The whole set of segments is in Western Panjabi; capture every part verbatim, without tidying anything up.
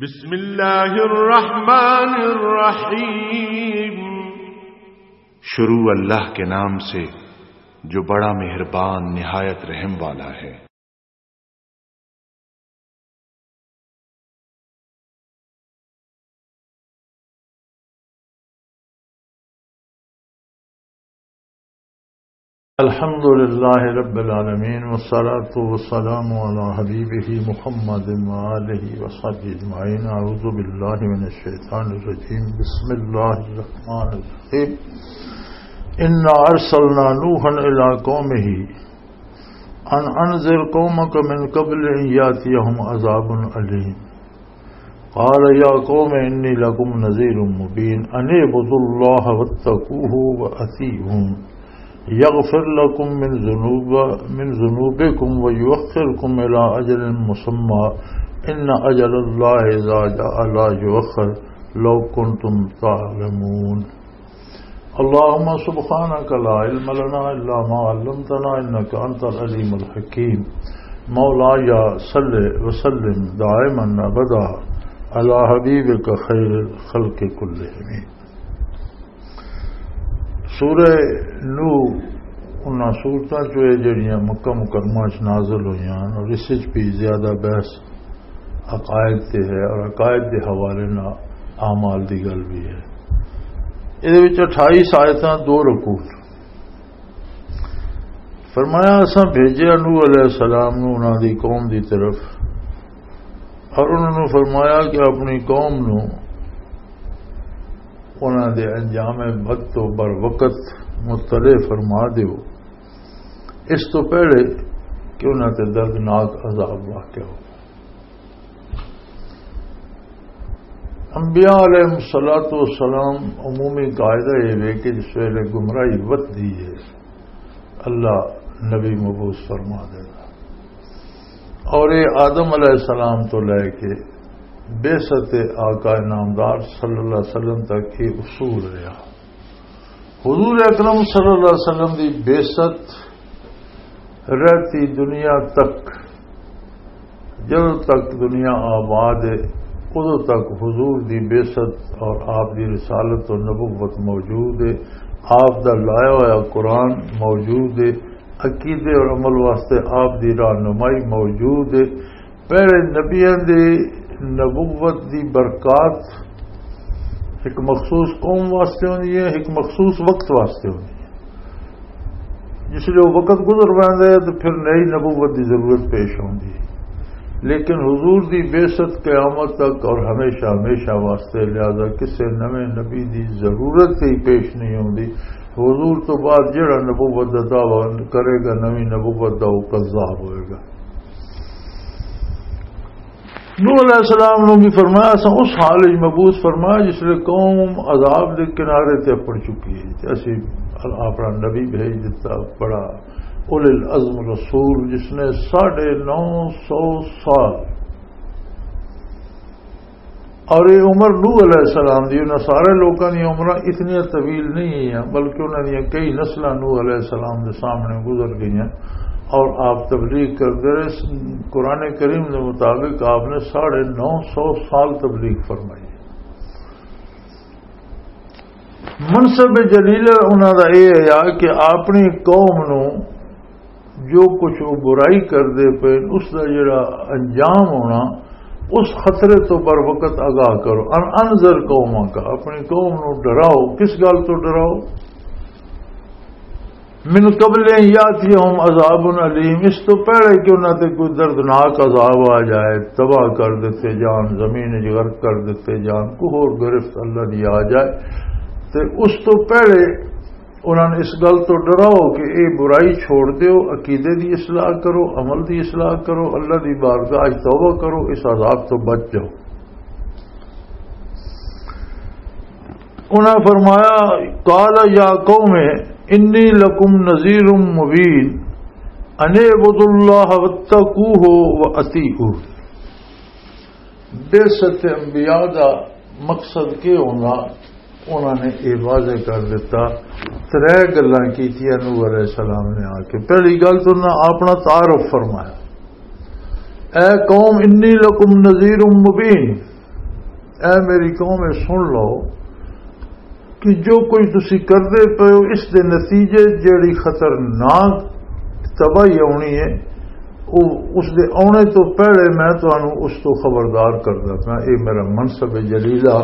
بسم اللہ الرحمن الرحیم۔ شروع اللہ کے نام سے، جو بڑا مہربان، نہایت رحم والا ہے۔ الحمد لله رب العالمين، والصلاة والسلام على حبيبه محمد وآله وصحبه أجمعين. أعوذ بالله من الشيطان الرجيم. بسم الله الرحمن الرحيم. إنا أرسلنا نوحا إلى قومه أن أنذر قومك من قبل أن يأتيهم عذاب أليم. قال يا قوم إني لكم نذير مبين أن اعبدوا الله واتقوه وأطيعون يغفر لكم من ذنوب من ذنوبكم ويؤخركم إلى أجل مسمى إن أجل الله إذا جاء لا يؤخر لو كنتم تعلمون. اللهم سبحانك لا علم لنا إلا ما علمتنا إنك أنت العليم الحكيم. مولاي صل وسلم دائما أبدا على حبيبك خير الخلق كلهم. سورہ نوح انہاں سورتاں چوں ہے جڑیاں مکہ مکرمہ چ نازل ہوئیاں ہن اور اس وچ بھی زیادہ بحث عقائد تے ہے اور عقائد دے حوالے نال اعمال دی گل بھی ہے۔ اے وچ اٹھائیس آیتاں، دو رکوع۔ فرمایا، اساں بھیجیا نوح علیہ السلام نو انہاں دی قوم دی طرف، اور انہاں نو فرمایا کہ اپنی قوم نو انہاں دے انجام بد تو بر وقت مطلع فرما دیو، اس تو پہلے کہ انہاں تے دردناک عذاب واقع ہو۔ انبیاء علیہ الصلوۃ والسلام عمومی قاعدہ یہ ہے کہ جس ویلے گمراہی ودھدی ہے، اللہ نبی مبعوث فرما دینا۔ اور یہ آدم علیہ السلام تو لے کے بعثت آقا نامدار صلی اللہ علیہ وسلم تک یہ اصول رہا۔ حضور اکرم صلی اللہ علیہ وسلم دی بعثت رہتی دنیا تک، جب تک دنیا آباد ہے، ادو تک حضور دی بعثت اور آپ دی رسالت و نبوت موجود ہے۔ آپ دا لایا ہوا قرآن موجود ہے۔ عقیدے اور عمل واسطے آپ دی رہنمائی موجود ہے۔ پہلے نبیاں دی نبوت دی برکات ایک مخصوص قوم واسطے ہوندی ہے، ایک مخصوص وقت واسطے ہوندی ہے۔ جس لئے وہ وقت گزر ویندا ہے تو پھر نئی نبوت دی ضرورت پیش ہوندی ہے۔ لیکن حضور دی بعثت قیامت تک اور ہمیشہ ہمیشہ واسطے، لہذا کسے نویں نبی دی ضرورت ہی پیش نہیں ہوندی۔ حضور تو بعد جڑا نبوت دا دعویٰ کرے گا، نویں نبوت دا، وہ کذاب ہوئے گا۔ نوح علیہ السلام نو بھی فرمایا، اساں اس حال وچ مبعوث فرمایا جس لئے قوم عذاب دے کنارے تے اپڑ چکی ہے۔ تے اسی اپنا نبی بھیج دیتا، بڑا اولي العزم رسول، جس نے ساڑھے نو سو سال، اور یہ عمر نوح علیہ السلام دی، انہاں سارے لوکاں دی عمراں اتنی طویل نہیں ہیں، بلکہ انہاں دی کئی نسلاں نوح علیہ السلام دے سامنے گزر گئیاں۔ اور آپ تبلیغ کرتے رہے۔ قرآن کریم دے مطابق آپ نے ساڑھے نو سو سال تبلیغ فرمائی۔ منصب جلیل انہاں دا یہ ہے کہ اپنی قوم نو جو کچھ وہ برائی کردے پے، اس دا جڑا انجام ہونا، اس خطرے تو بر وقت آگاہ کرو۔ ان انذر قومک، اپنی قوم نو ڈراؤ۔ کس گل تو ڈراؤ؟ من قبل ان یاتیہم عذاب علیم، اس تو پہلے کہ انہاں تے کوئی دردناک عذاب آ جائے، تباہ کر دتے جان، زمین وچ غرق کر دتے جان، کوئی ہور گرفت اللہ دی آ جائے، تے اس تو پہلے انہاں نے اس گل تو ڈراؤ کہ اے برائی چھوڑ دیو، عقیدے دی اصلاح کرو، عمل دی اصلاح کرو، اللہ دی بارگاہ وچ توبہ کرو، اس عذاب تو بچ جاؤ۔ انہاں فرمایا، قال یا قوم انی لکم نذیر مبین ان اعبدوا اللہ واتقوہ واطیعون۔ بعثت انبیاء دا مقصد کی ہونا؟ انہاں نے یہ واضح کر دیتا۔ ترے گلاں کیتیاں نوح علیہ السلام نے آ کے۔ پہلی گل تو انہاں اپنا تعارف فرمایا، اے قوم انی لکم نذیر مبین، اے میری قوم، اے سن لو کہ جو کچھ تسی کردے پئے ہو، اس دے نتیجے جیڑی خطرناک تباہی آنی ہے، او اس دے آنے تو پہلے میں تانوں اس تو خبردار کردا پیا۔ اے میرا منصب جلیلہ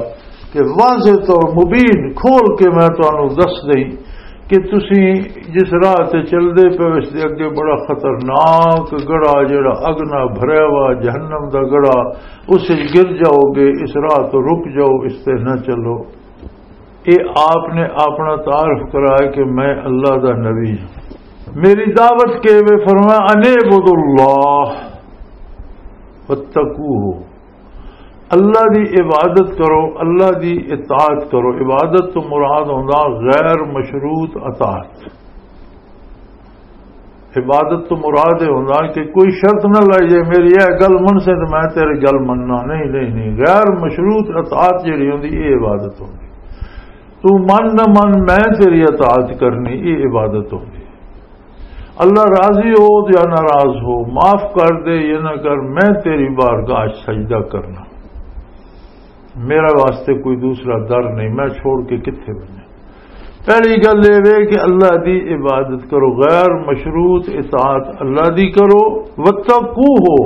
کہ واضح طور مبین کھول کے میں تانوں دس دیں کہ تسی جس راہ تے چلدے پئے ہو، اس دے اگے بڑا خطرناک گڑا، جڑا اگ نال بھریا ہوا جہنم دا گڑا، اس وچ گر جاؤ گے۔ اس راہ تو رک جاؤ، اس تے نہ چلو۔ اے آپ نے اپنا تعارف کرایا کہ میں اللہ دا نبی ہاں۔ میری دعوت کے وے؟ فرمایا، ان اعبدوا اللہ واتقوہ، اللہ دی عبادت کرو، اللہ دی اطاعت کرو۔ عبادت تو مراد ہوندا غیر مشروط اطاعت۔ عبادت تو مراد یہ ہوندا کہ کوئی شرط نہ لائی جائے، میری یہ گل من سے تو میں تیری گل مننا۔ نہیں، نہیں، نہیں، غیر مشروط اطاعت جڑی ہوندی، یہ عبادت ہوندی۔ تو من نہ من، میں تیری اطاعت کرنی، یہ عبادت ہوندی۔ اللہ راضی ہو یا ناراض ہو، معاف کر دے یا نہ کر، میں تیری بارگاہ 'چ سجدہ کرنا۔ میرا واسطے کوئی دوسرا در نہیں، میں چھوڑ کے کتھے بنیا۔ پہلی گل یہ وے کہ اللہ دی عبادت کرو، غیر مشروط اطاعت اللہ دی کرو، وتقو ہو،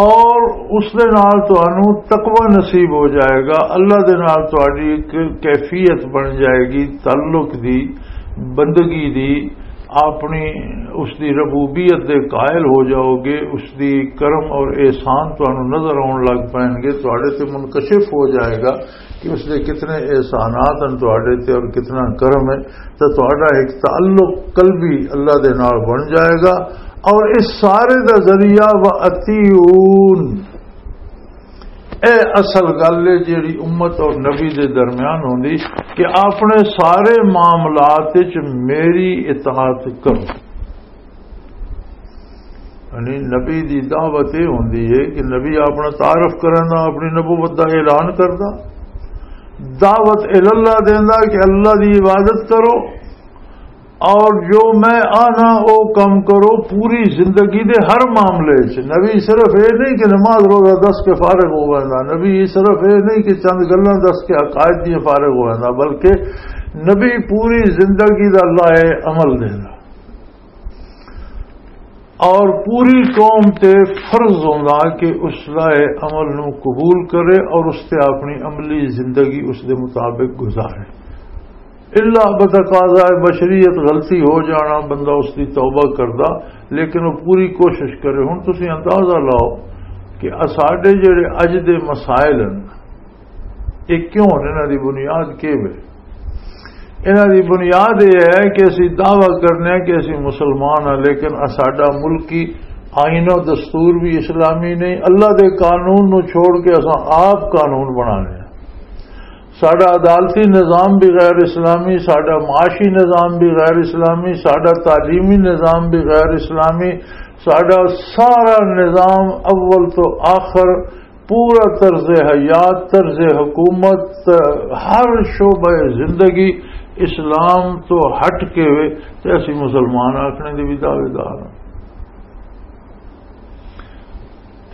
اور اس دے نال تانوں تقوی نصیب ہو جائے گا۔ اللہ دے نال تہاڈی ایک کیفیت بن جائے گی تعلق دی، بندگی دی، اپنی اس دی ربوبیت دے قائل ہو جاؤ گے، اس دی کرم اور احسان تانوں نظر آن لگ پائیں گے، تہاڈے تے منکشف ہو جائے گا کہ اس دے کتنے احسانات ہیں تہاڈے تے اور کتنا کرم ہے۔ تو تہاڈا ایک تعلق قلبی اللہ دے نال بن جائے گا۔ اور اس سارے دا ذریعہ، وَأَطِيعُونِ، اے اصل گل ہے جیڑی امت اور نبی دے درمیان ہوندی کہ اپنے سارے معاملات وچ میری اطاعت کرو۔ یعنی نبی دی دعوت یہ ہوندی ہے کہ نبی اپنا تعارف کرنا، اپنی نبوت دا اعلان کردا، دعوت الاللہ دیندا کہ اللہ دی عبادت کرو، اور جو میں آنا او کم کرو پوری زندگی دے ہر معاملے وچ۔ نبی صرف یہ نہیں کہ نماز روزہ دس کے فارغ ہو ویندا، نبی صرف یہ نہیں کہ چند گلاں دس کے عقائد دیاں فارغ ہو ویندا، بلکہ نبی پوری زندگی دا لائے عمل دیندا۔ اور پوری قوم تے فرض ہوندا کہ اس لائے عمل نو قبول کرے اور اس تے اپنی عملی زندگی اس دے مطابق گزارے۔ الا بتقاضائے بشریت غلطی ہو جانا، بندہ اس دی توبہ کردا، لیکن وہ پوری کوشش کرے۔ ہن تسی اندازہ لاؤ کہ اساڈے جڑے اج دے مسائل ہیں، یہ کیوں ہن؟ انہاں دی بنیاد کی ہے؟ انہاں دی بنیاد یہ ہے کہ اسی دعویٰ کرنے ہیں کہ اسی مسلمان ہیں، لیکن اساڈا ملکی آئین و دستور بھی اسلامی نہیں۔ اللہ دے قانون نو چھوڑ کے اساں آپ قانون بنانے ہیں۔ ساڈا عدالتی نظام بھی غیر اسلامی، ساڈا معاشی نظام بھی غیر اسلامی، ساڈا تعلیمی نظام بھی غیر اسلامی، ساڈا سارا نظام اول تو آخر، پورا طرز حیات، طرز حکومت، ہر شعبہ زندگی اسلام تو ہٹ کے ہوئے، تے اسی مسلمان آکھنے دی بھی دعوے دار ہاں۔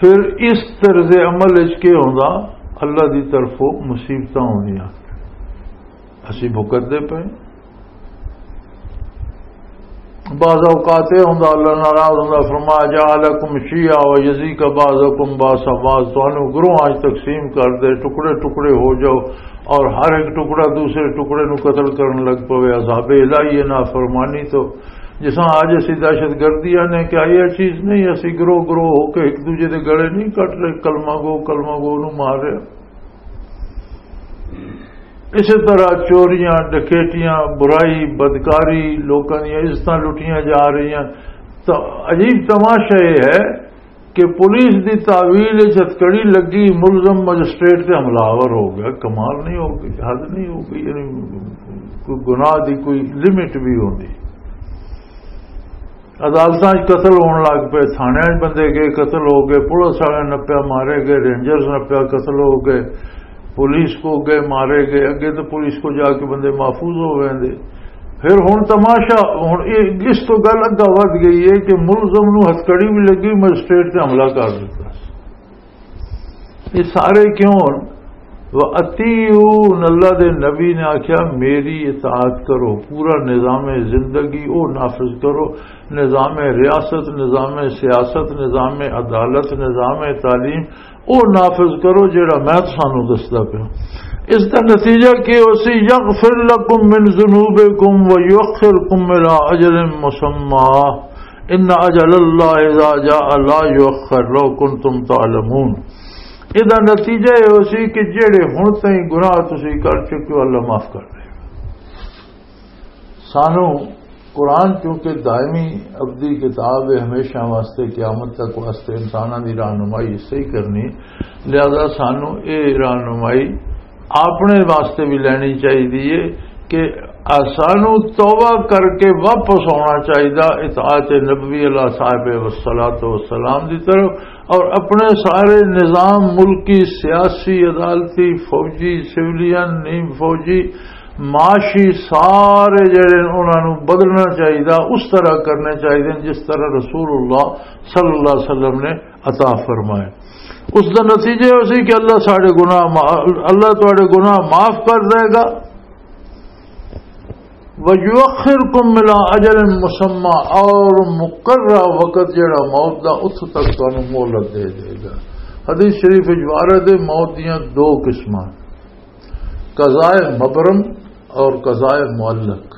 پھر اس طرز عمل وچ کی ہوندا؟ اللہ دی طرفوں مصیبتاں ہوندیاں، اسی بھگتدے پئے۔ بعض اوقات یہ ہوندا، اللہ ناراض ہوندا، فرمایا، جعلکم شیعا و یزیک بعضکم بعضا، بعض تانوں گروہاں وچ تقسیم کر دے، ٹکڑے ٹکڑے ہو جاؤ، اور ہر ایک ٹکڑا دوسرے ٹکڑے نوں قتل کرن لگ پوے۔ عذاب الہی ہے، نافرمانی تو۔ جساں اج اسی دہشت گردی آنے، کیا یہ چیز نہیں؟ اسی گروہ گروہ ہو کے ایک دوجے دے گلے نہیں کٹ رہے، کلمہ گو کلمہ گو نوں مار رہے۔ اسی طرح چوریاں، ڈکیٹیاں، برائی، بدکاری، لوکاں دیاں عزتاں لٹیاں جا رہیاں۔ تو عجیب تماشا یہ ہے کہ پولیس دی تعویل وچ ہتھکڑی لگی، ملزم مجسٹریٹ تے حملہ آور ہو گیا۔ کمال نہیں ہو گئی، حد نہیں ہو گئی، یعنی کوئی گناہ دی کوئی لمٹ بھی ہوندی۔ عدالتاں 'چ قتل ہون لگ پئے، تھانیاں 'چ بندے گئے، قتل ہو گئے، پولیس والے نپیا، مارے گئے، رینجرز نپیا، قتل ہو گئے، پولیس کو گئے، مارے گئے۔ اگے تو پولیس کو جا کے بندے محفوظ ہو ویندے۔ پھر ہن تماشا، ہن اے، اس تو گل اگا ودھ گئی ہے کہ ملزم نو ہتھکڑی بھی لگی، مجسٹریٹ تے حملہ کر دتا۔ یہ سارے کیوں ہن؟ وَأَطِيعُونِ، اللہ دے نبی نے آکھیا، میری اطاعت کرو، پورا نظام زندگی او نافذ کرو، نظام ریاست، نظام سیاست، نظام عدالت، نظام تعلیم، او نافذ کرو جڑا میں تسانوں دسدا پیا۔ اس دا نتیجہ کی ہو سی؟ یغفر لکم من ذنوبکم ویؤخرکم الی اجل مسمی، ان اجل اللہ اذا جاء لا یؤخر لو کنتم تعلمون۔ ادا نتیجہ یہ ہو سی کہ جڑے ہن تائیں گناہ تسی کر چکے ہو، اللہ معاف کر دے۔ سانو قرآن چونکہ دائمی ابدی کتاب ہے، ہمیشہ واسطے قیامت تک واسطے انساناں دی رہنمائی صحیح کرنی، لہذا سانو اے رہنمائی اپنے واسطے بھی لینی چاہیے کہ سانو توبہ کر کے واپس آنا چاہیے اطاعت نبوی علیہ صاحب والصلاۃ والسلام دی طرف، اور اپنے سارے نظام، ملکی، سیاسی، عدالتی، فوجی، سویلین، نیم فوجی، معاشی، سارے جڑے انہاں نوں بدلنا چاہیے، اس طرح کرنے چاہیے جس طرح رسول اللہ صلی اللہ علیہ وسلم نے عطا فرمائے۔ اس دا نتیجہ یہ سی کہ اللہ سارے گناہ ما-، اللہ تواڈے گناہ معاف کر دے گا۔ وَيُؤَخِّرْكُمْ إِلَىٰ أَجَلٍ مُّسَمًّى، اور مقررہ وقت جڑا موت دا، اتھوں تک تانوں مہلت دے دے گا۔ حدیث شریف وچ وارد ہے، موت دیاں دو قسماں، قضائے مبرم اور قضائے معلق۔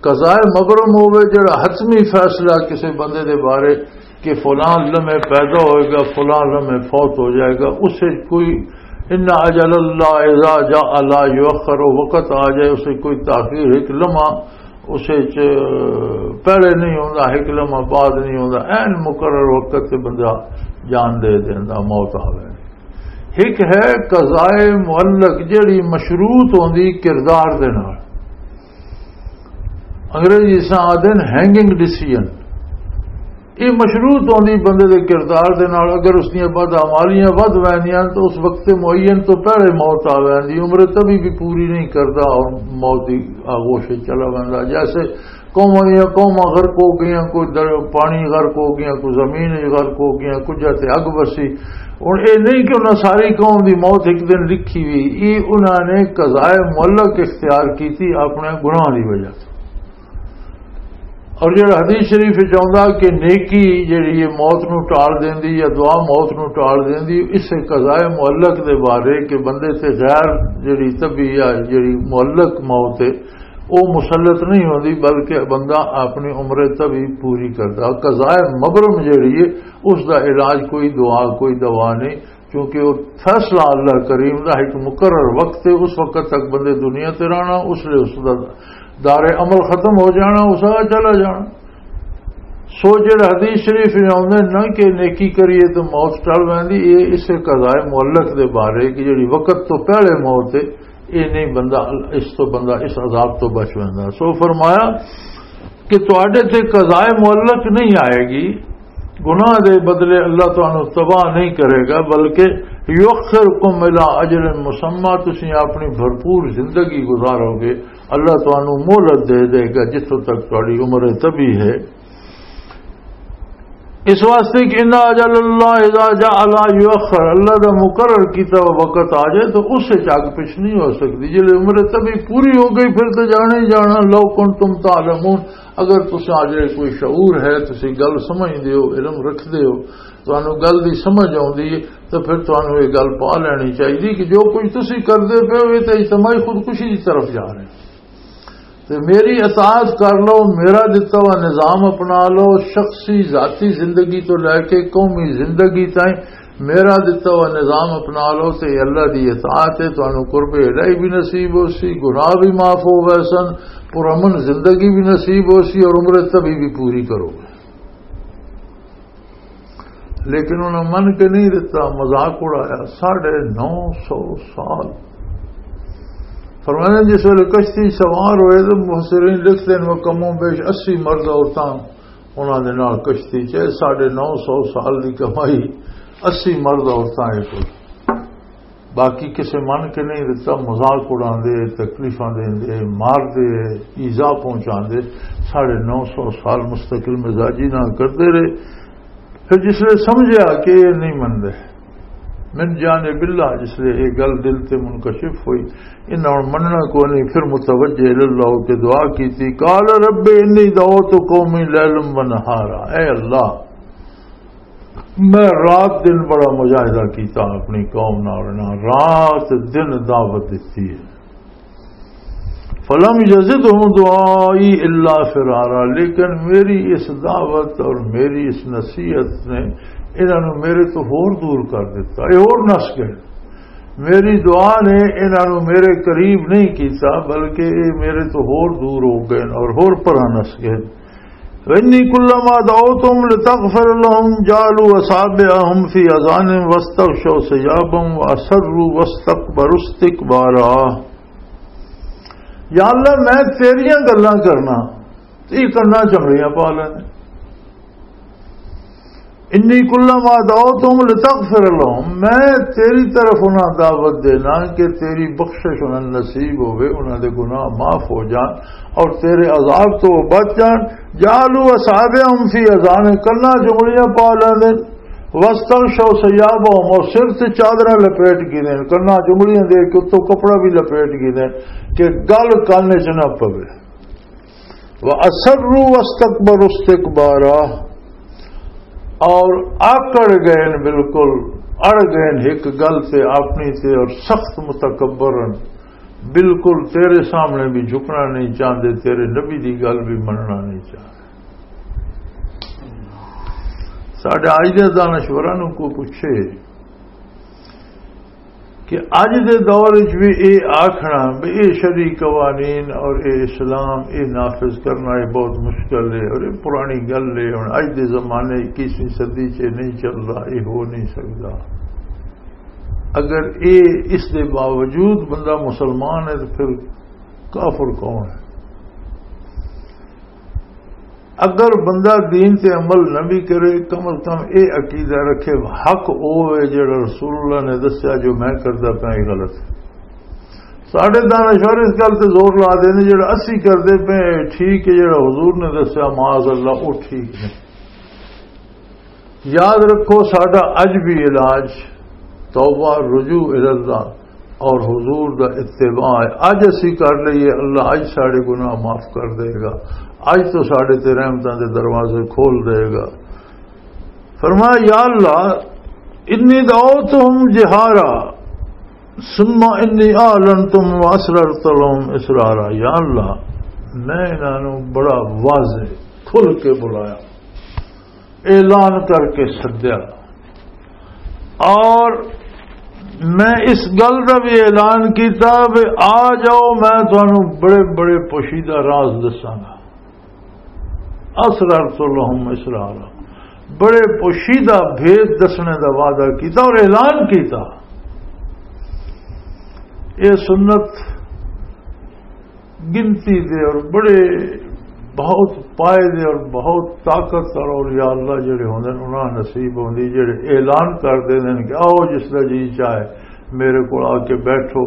قضائے مبرم ہوے جڑا حتمی فیصلہ کسی بندے دے بارے کہ فلاں لمحے پیدا ہوئے گا، فلاں لمحے فوت ہو جائے گا، اسے کوئی، ان اجل اللہ اذا جاء لا یؤخر، وہ وقت آ جائے، اسے کوئی تاخیر ایک لمحہ اسے چ پہلے نہیں ہوندا، ایک لمحہ بعد نہیں ہوندا، عین مقرر وقت تے بندہ جان دے دیندا، موت آوے۔ ایک ہے قضائے معلق، جڑی مشروط ہوندی کردار دے نال۔ انگریزی سا آدن ہینگنگ ڈیسیژن۔ یہ مشروط ہوندی بندے دے کردار دے نال۔ اگر اس دیاں بداعمالیاں ودھ ویندیاں تو اس وقت معین تو پہلے موت آ ویندی، عمر تبھی بھی پوری نہیں کردا اور موت دی آغوش وچ چلا ویندا۔ جیسے قوماں دیاں قوماں غرق ہو گئیاں، کوئی در-، پانی غرق ہو گئیاں، کوئی زمین وچ غرق ہو گئیاں، کجھاں تے اگ وسی۔ ہن اے نہیں کہ انہاں ساری قوم دی موت ایک دن لکھی ہوئی، اے انہاں نے قضائے معلق اختیار کیتی اپنے گناہ دی وجہ سے۔ اور جڑا حدیث شریف وچ آوندا کہ نیکی جڑی ہے موت نو ٹال دیندی یا دعا موت نو ٹال دیندی، اسے قضائے معلق دے بارے کہ بندے تے غیر جڑی طبی یا جڑی معلق موت ہے، او مسلط نہیں ہوندی، بلکہ بندہ اپنی عمر طبی پوری کردا۔ قضائے مبرم جڑی ہے، اس دا علاج کوئی دعا، کوئی دوا نہیں، کیونکہ وہ فیصلہ اللہ کریم دا ایک مقرر وقت ہے۔ اس وقت تک بندے دنیا تے رہنا، اس لیے اس دا دار عمل ختم ہو جانا، اس دا چلا جانا۔ سو جڑا حدیث شریف میں آندے نا کہ نیکی کریے تو موت ٹل ویندی، یہ اس قضائے معلق دے بارے کہ جڑی وقت تو پہلے موت ہے، یہ نہیں بندہ، اس تو بندہ اس عذاب تو بچ ویندا۔ سو فرمایا کہ تواڈے تے قضائے معلق نہیں آئے گی، گناہ دے بدلے اللہ تانوں تباہ نہیں کرے گا، بلکہ یؤخرکم الی اجل مسمی، تسی اپنی بھرپور زندگی گزارو گے، اللہ تانوں مہلت دے دے گا جتھوں تک تہاڈی عمر طبی ہے۔ اس واسطے کہ ان اجل اللہ اذا جاء لا یؤخر، اللہ دا مقرر کیتا ہوا وقت آ جائے تو اس سے آگ پچھ نہیں ہو سکتی۔ جلے عمر طبی پوری ہو گئی پھر تو جانا ہی جانا، لو کنتم تعلمون، اگر تساں اجے کوئی شعور ہے، تسی گل سمجھدے ہو، علم رکھدے ہو، تانوں گل دی سمجھ آوندی ہے، تو پھر تانوں یہ گل پا لینی چاہیے کہ جو کچھ تسی کردے پے ہو، یہ تو اجتماعی خودکشی کی طرف جا رہے ہیں۔ تے میری اطاعت کر لو، میرا دتا ہوا نظام اپنا لو، شخصی ذاتی زندگی تو لے کے قومی زندگی تائیں میرا دتا ہوا نظام اپنا لو، تے اللہ دی اطاعت ہے، تانوں قرب الہی بھی نصیب ہو سی، گناہ بھی معاف ہو ویسن، پرامن زندگی بھی نصیب ہو سی اور عمر طبی بھی پوری کرو گے۔ لیکن انہاں من کے نہیں دتا، مذاق اڑایا۔ ساڑھے نو سو سال۔ فرمایا جس ویلے کشتی سوار ہوئے تو مفسرین لکھتے ہیں، وہ کموں بیش اسی مرد عورتاں انہاں دے نال کشتی چ، ساڑھے نو سو سال دی کمائی اسی مرد عورتاں ایک۔ باقی کسے من کے نہیں دتا، مذاق اڑاندے، تکلیفاں دیندے، ماردے، ایذا پہنچاندے، ساڑھے نو سو سال مستقل مزاجی نہ کردے رہے۔ پھر جس لے سمجھیا کہ یہ نہیں مندے، من جانب اللہ، جس لئے یہ گل دل تے منکشف ہوئی، انہاں ہن مننا کوئی نہیں۔ پھر متوجہ اللہ ہو کے دعا کی تھی، قال رب انی دعوت قومی لیلا و نہارا، اے اللہ، میں رات دن بڑا مجاہدہ کیتا اپنی قوم نال، نہ رات دن دعوت دتی ہے۔ فلم یزدہم دعائی الا فرارا، لیکن میری اس دعوت اور میری اس نصیحت نے انہاں نوں میرے تو ہور دور کر دتا، یہ ہور نس گئے۔ میری دعا نے انہاں نوں میرے قریب نہیں کیتا، بلکہ یہ میرے تو ہور دور ہو گئے اور ہور پرا نس گئے۔ وَإِنِّي كُلَّمَا دَعَوْتُهُمْ لِتَغْفِرَ لَهُمْ جَعَلُوا أَصَابِعَهُمْ فِي آذَانِهِمْ وَاسْتَغْشَوْا ثِيَابَهُمْ وَأَصَرُّوا وَاسْتَكْبَرُوا اسْتِكْبَارًا۔ یا اللہ، میں تیریاں گلاں کرنا، تے کناں چمڑیاں پا لینے۔ انی کلما دعوتہم لتغفر لہم، میں تیری طرف انہاں دعوت دینا کہ تیری بخشش انہاں نصیب ہوئے، انہاں دے گناہ معاف ہو جان اور تیرے عذاب تو وہ بچ جان۔ جعلوا اصابعہم فی اذانہم، کناں چمڑیاں پا لیندے، واستغشوا ثیابہم، اور سر تے چادراں لپیٹ گھنے، کناں چمڑیاں دے کے اتوں کپڑا بھی لپیٹ گھنے کہ گل کان وچ نہ پوے۔ وَأَسَرُّوا وَاسْتَكْبَرُوا اسْتِكْبَارًا، اور آکڑ گئے نے، بالکل اڑ گئے نے ایک گل تے اپنی تے، اور سخت متکبر ہیں، بالکل تیرے سامنے بھی جھکنا نہیں چاہتے، تیرے نبی دی گل بھی مننا نہیں چاہتے۔ ساڈے اج دے دانشوراں نوں کوئی پوچھے کہ اج دے دور وچ بھی اے آکھنا بھی اے شرعی قوانین اور اے اسلام، اے نافذ کرنا، اے بہت مشکل ہے اور اے پرانی گل ہے، ہن اج دے زمانے، اکیسویں صدی چ اے نہیں چلدا، اے ہو نہیں سکدا۔ اگر اے، اس دے باوجود بندہ مسلمان ہے تو پھر کافر کون ہے؟ اگر بندہ دین تے عمل نہ بھی کرے، کم از کم اے عقیدہ رکھے، حق او ہے جڑا رسول اللہ نے دسیا، جو میں کردا پیا، اے غلط ہے۔ ساڈے دانشور اس گل تے زور لا دے نے، جڑا اسی کردے پے ٹھیک ہے، جڑا حضور نے دسیا، معاذ اللہ، او ٹھیک نہیں۔ یاد رکھو، ساڈا اج بھی علاج توبہ، رجوع الی اللہ اور حضور دا اتباع ہے۔ اج اسی کر لئیے، اللہ اج ساڈے گناہ معاف کر دے گا، اج تو ساڈے تے رحمتاں دے دروازے کھول دے گا۔ فرمایا، یا اللہ، انی دعوتہم جہارا ثم انی اعلنتم واسررت لهم اسرارا۔ یا اللہ، میں انہاں نوں بڑا واضح کھل کے بلایا، اعلان کر کے سدیا، اور میں اس گل دا بھی اعلان کیتا بھی آ جاؤ، میں تانوں بڑے بڑے پوشیدہ راز دساں گا۔ اسررت لهم اسرارا، بڑے پوشیدہ بھید دسنے دا وعدہ کیتا اور اعلان کیتا۔ یہ سنت گنتی دے اور بڑے بہت پائے دے اور بہت طاقتور اولیاء اللہ جڑے ہوندے نے، انہاں نصیب ہوندی جڑے اعلان کر دیندے نے کہ آؤ، جس دا جی چاہے میرے کول آ کے بیٹھو،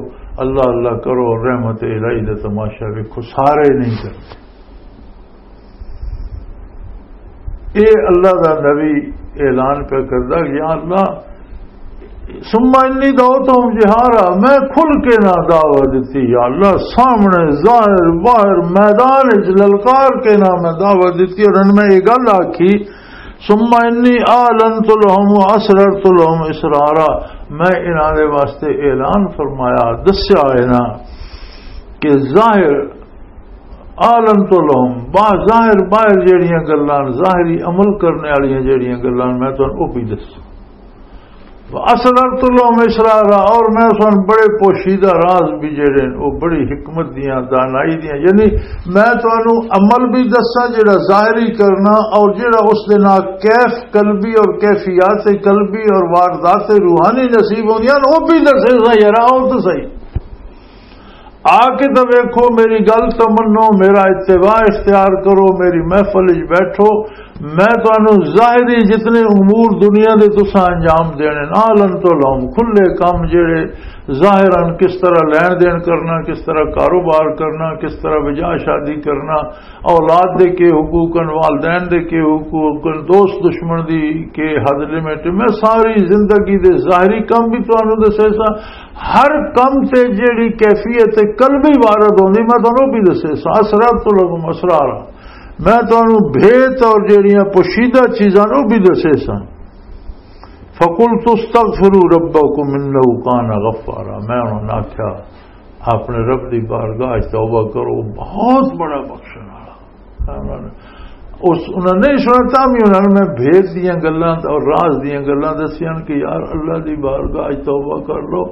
اللہ اللہ کرو اور رحمت الہی دا تماشا ویکھو، سارے نہیں کرتے۔ اے اللہ دا نبی اعلان پہ کردا، یا اللہ، ثم انی دعوتہم جہارا، میں کھل کے نہ دعوت دتی، یا اللہ، سامنے ظاہر باہر میدان وچ للکار کے نہ میں دعوت دتی، اور ان میں یہ گل آکھی، ثم انی اعلنت لهم واسررت لهم اسرارا، میں انہاں دے واسطے اعلان فرمایا، دسیا ہے نا کہ ظاہر اعلنت لهم، با ظاہر باہر جڑیاں گلاں، ظاہری عمل کرنے والیاں جڑیاں گلاں، میں تانوں او بھی دساں۔ واسررت لهم اسرارا، اور میں تانوں بڑے پوشیدہ راز بھی جڑے نے، او بڑی حکمت دیاں، دانائی دیاں، یعنی میں تانوں عمل بھی دساں جڑا ظاہری کرنا، اور جڑا اس دے نال کیف قلبی اور کیفیات قلبی اور واردات روحانی نصیب ہوندیاں، او بھی دسے سا یار، آؤ تو صحیح۔ آ کے تو ویکھو، میری گل تو منو، میرا اتباع اختیار کرو، میری محفل وچ بیٹھو، میں تانوں ظاہری جتنے امور دنیا دے تساں انجام دینے، نالن تو لہم، کھلے کم جڑے ظاہرن کس طرح لین دین کرنا، کس طرح کاروبار کرنا، کس طرح بجا شادی کرنا، اولاد دے کے حقوق ہن، والدین دے کے حقوق ہن، دوست دشمن دی کے حد لمٹ، میں ساری زندگی دے ظاہری کم بھی تانوں دسے سا، ہر کم تے جڑی کیفیت قلبی وارد ہوندی، میں تانوں بھی دسے سا، اسررت لکم اسرارا، میں تانوں بھید اور جڑیاں پوشیدہ چیزاں نوں بھی دسے سا۔ فقلت استغفروا ربکم انہ کان غفارا، میں انہاں نوں آکھیا، اپنے رب دی بارگاہ وچ توبہ کرو، بہت بڑا بخشن والا۔ انہاں نے، اس، انہاں نے نہیں سنا، تاں بھی انہاں نے میں بھید دیاں گلاں اور راز دیاں گلاں دسیاں کہ یار، اللہ دی بارگاہ وچ توبہ کر لو،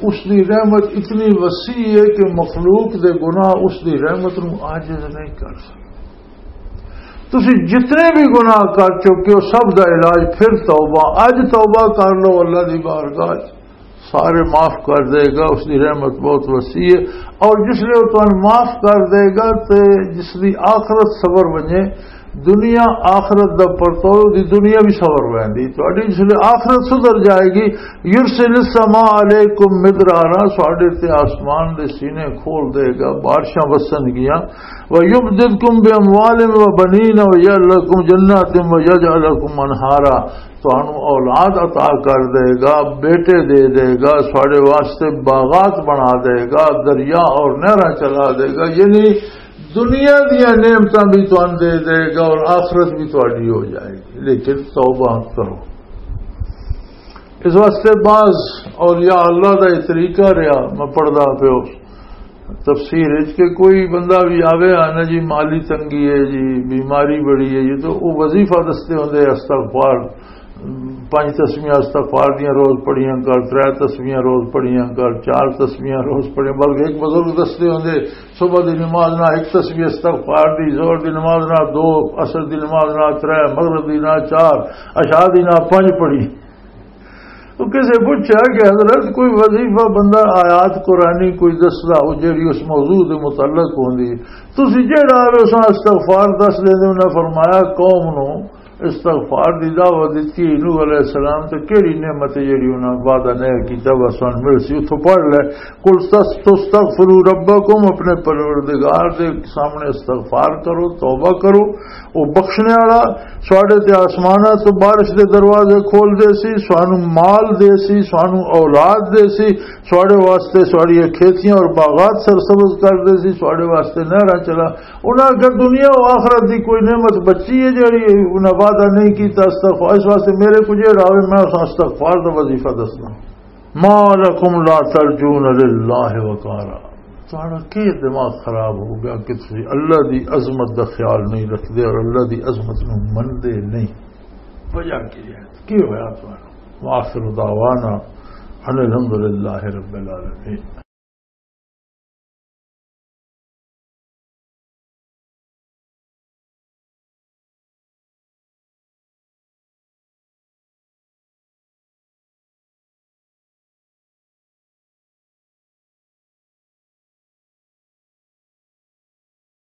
اس دی رحمت اتنی وسیع ہے کہ مخلوق دے گناہ اس دی رحمت نوں عاجز نہیں کر سکتے۔ تسی جتنے بھی گناہ کر چکے ہو، سب دا علاج پھر توبہ۔ اج توبہ کر لو اللہ دی بارگاہ وچ، سارے معاف کر دے گا، اس دی رحمت بہت وسیع ہے۔ اور جس لئے وہ تمہیں معاف کر دے گا تے جس دی آخرت سبر ونجے، دنیا آخرت دا پرتو دی، دنیا بھی سبر ویندی تہاڈی، جس لئے آخرت سدھر جائے گی۔ یرسل السماء علیکم مدرارا، ساڈے تے آسمان دے سینے کھول دے گا، بارشاں وسن گیاں۔ وَيُمْدِدْكُمْ بِأَمْوَالٍ وَبَنِينَ وَيَجْعَل لَّكُمْ جَنَّاتٍ وَيَجْعَل لَّكُمْ أَنْهَارًا۔ تانوں اولاد عطا کر دے گا، بیٹے دے دے گا، ساڈے واسطے باغات بنا دے گا، دریا اور نہراں چلا دے گا۔ یعنی دنیا دیاں نعمتاں بھی تانوں دے دے گا اور آخرت بھی تہاڈی ہو جائے گی۔ لیکن توبہ کرو۔ اس واسطے بعض اولیاء اللہ دا یہ طریقہ رہا، میں پڑھدا پیو تفسیر وچ کہ کوئی بندہ بھی آوے، آنا جی مالی تنگی ہے جی، بیماری بڑی ہے جی، تو وہ وظیفہ دستے ہوندے استغفار، پنج تسبیحاں استغفار دیاں روز پڑھیاں کر، ترے تسبیحاں روز پڑھیاں کر، چار تسبیحاں روز پڑھیاں۔ بلکہ ایک بزرگ دستے ہوندے، صبح دی نماز نہ ایک تسبیح استغفار دی، ظہر دی نماز نہ دو، عصر دی نماز نہ ترے، مغرب دی نہ چار، عشاء دی نہ پنج پڑھی۔ تو کسے پوچھا کہ حضرت، کوئی وظیفہ بندہ آیات قرآنی کوئی دسدا ہو جیڑی اس موضوع دے متعلق ہوندی، تسی جیڑا آوے اس استغفار دس دیندے؟ انہاں فرمایا، قوم نو استغفار دی دعوت دتی، نوح علیہ السلام تے کیڑی نعمت ہے جیڑی انہاں وعدہ نہیں کیتا، بس انہاں مل سی، اتھوں پڑھ لے۔ قل تس-، تستغفروا ربکم، اپنے پروردگار دے سامنے استغفار کرو، توبہ کرو، او بخشنے والا، ساڈے تے آسماناں تو بارش دے دروازے کھول دے سی، سانو مال دے سی، سانو اولاد دے سی، ساڈے واسطے ساڈیاں کھیتیاں اور باغات سرسبز کر دے سی، ساڈے واسطے نہراں چلا۔ انہاں اگر دنیا و آخرت دی کوئی نعمت بچی ہے جڑی انہاں وعدہ نہیں کیتا، استغفار، اس واسطے میرے کو جیڑا ہوئے، میں اس استغفار دا وظیفہ دسنا۔ ما لکم لا ترجون للہ وقارا، تہاڈا کی دماغ خراب ہو گیا کہ تسی اللہ دی عظمت دا خیال نہیں رکھدے اور اللہ دی عظمت نو مندے نہیں؟ وجہ کی ہے؟ کی ہویا تہاڈا؟ وآخر دعوانا ان الحمدللہ رب العالمین۔